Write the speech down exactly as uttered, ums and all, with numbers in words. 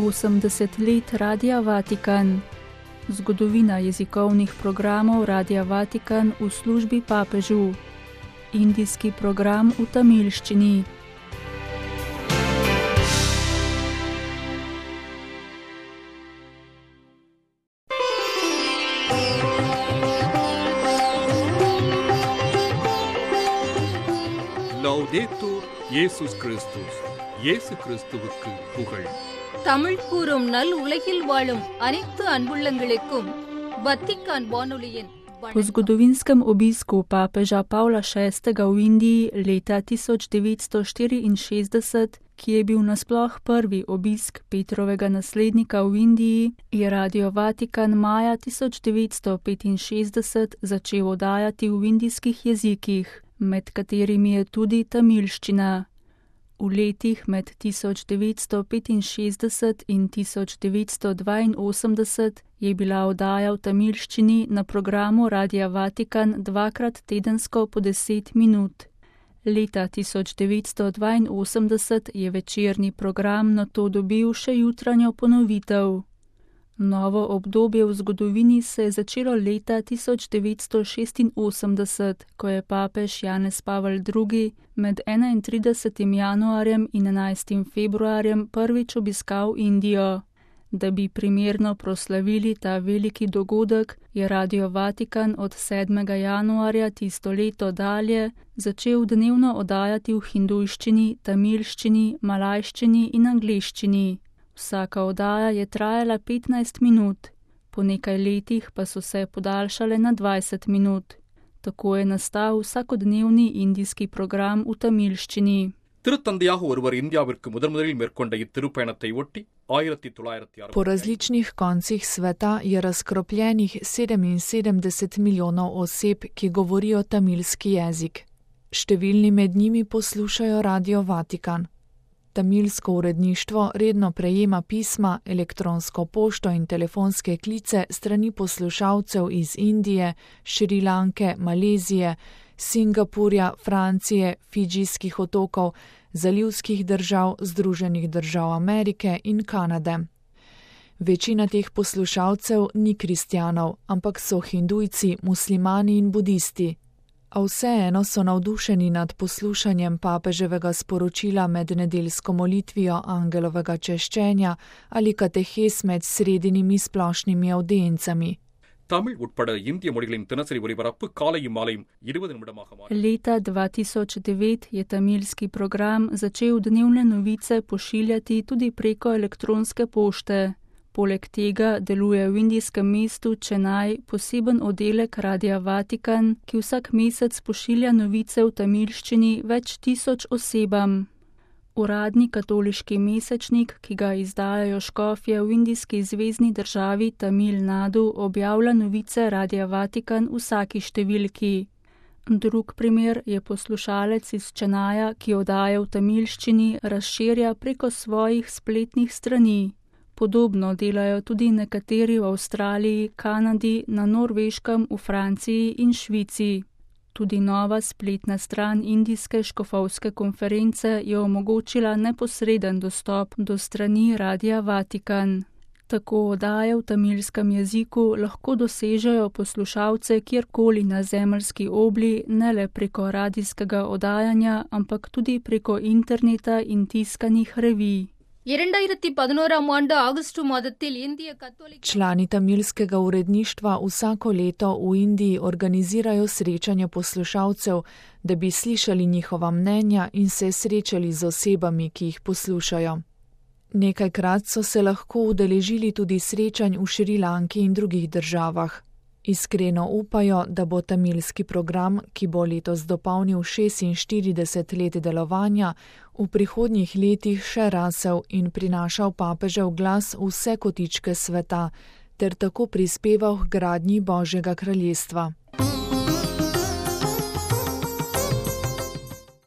osemdeset let Radia Vatikan. Zgodovina jezikovnih programov Radia Vatikan v službi papežu. Indijski program v tamilščini. லௌதேத்தூர் இயேசுஸ் கிறிஸ்துஸ். இயேசு கிறிஸ்துவுக்கு புகழ். தமிழ் கூறும் நல் உலகில் வாழும் அனைத்து அன்புள்ளங்களுக்கும் வத்திக்கான் வானொலியின் Po zgodovinskem obisku papeža Pavla šestega v Indiji leta tisoč devetsto štiriinšestdeset, ki je bil nasploh prvi obisk Petrovega naslednika v Indiji, je Radio Vatikan maja tisoč devetsto petinšestdeset začel oddajati v indijskih jezikih, med katerimi je tudi tamilščina. V letih med tisoč devetsto petinšestdeset in tisoč devetsto dvainosemdeset je bila oddaja v tamilščini na programu Radia Vatikan dvakrat tedensko po deset minut. Leta tisoč devetsto dvainosemdeset je večerni program nato dobil še jutranjo ponovitev. Novo obdobje v zgodovini se je začelo leta tisoč devetsto šestinosemdeset, ko je papež Janez Pavel drugi med enaintridesetim januarjem in enajstim februarjem prvič obiskal Indijo. Da bi primerno proslavili ta veliki dogodek, je Radio Vatikan od sedmega januarja tisto leto dalje začel dnevno oddajati v hindujščini, tamilščini, malajščini in angleščini. Vsaka oddaja je trajala petnajst minut, po nekaj letih pa so se podaljšale na dvajset minut. Tako je nastal vsakodnevni indijski program v tamilščini. திருத்தந்தையாக ஒருவர் இந்தியாவிற்கு முதன் முதலில் மேற்கொண்ட இத்திருப்பயணத்தை ஒட்டி ஆயிரத்தி தொள்ளாயிரத்தி Po različnih koncih sveta je razkropljenih sedeminsedemdeset milijonov oseb, ki govorijo tamilski jezik. Številni med njimi poslušajo Radio Vatikan. Tamilsko uredništvo redno prejema pisma, elektronsko pošto in telefonske klice strani poslušalcev iz Indije, Šrilanke, Malezije, Singapurja, Francije, Fidžijskih otokov, zalivskih držav, Združenih držav Amerike in Kanade. Večina teh poslušalcev ni kristjanov, ampak so hindujci, muslimani in budisti. A vseeno so navdušeni nad poslušanjem papeževega sporočila med nedeljsko molitvijo angelovega češčenja ali katehes med sredinimi splošnimi avdiencami. Tamil உட்பட இந்திய மொழிகளின் தினசரி ஒலிபரப்பு காலையும் மாலையும் இருபது நிமிடமாக மாறி. Leta dva tisoč devet je tamilski program začel dnevne novice pošiljati tudi preko elektronske pošte. Poleg tega deluje v indijskem mestu Chennai poseben oddelek Radia Vatikan, ki vsak mesec pošilja novice v tamilščini več tisoč osebam. Uradni katoliški mesečnik, ki ga izdajajo škofje v indijski zvezni državi Tamil Nadu, objavlja novice Radia Vatikan v vsaki številki. Drug primer je poslušalec iz Čenaja, ki oddaja v tamilščini, razširja preko svojih spletnih strani. Podobno delajo tudi nekateri v Avstraliji, Kanadi, na Norveškem, v Franciji in Švici. Tudi nova spletna stran indijske škofovske konference je omogočila neposreden dostop do strani Radia Vatikan. Tako oddaje v tamilskem jeziku lahko dosežejo poslušalce kjerkoli na zemeljski obli, ne le preko radijskega oddajanja, ampak tudi preko interneta in tiskanih revij. இரண்டாயிரத்தி பதினோராம் ஆண்டு ஆகஸ்ட் மாதத்தில் இந்திய கத்தோலிக்க Člani tamilskega uredništva vsako leto v Indiji organizirajo srečanje poslušalcev, da bi slišali njihova mnenja in se srečali z osebami, ki jih poslušajo. Nekajkrat so se lahko udeležili tudi srečanj v Šrilanki in drugih državah. Iskreno upajo, da bo tamilski program, ki bo letos dopolnil šestinštirideset let delovanja, v prihodnjih letih še rasel in prinašal papežev glas v vse kotičke sveta, ter tako prispeval k gradnji Božjega kraljestva.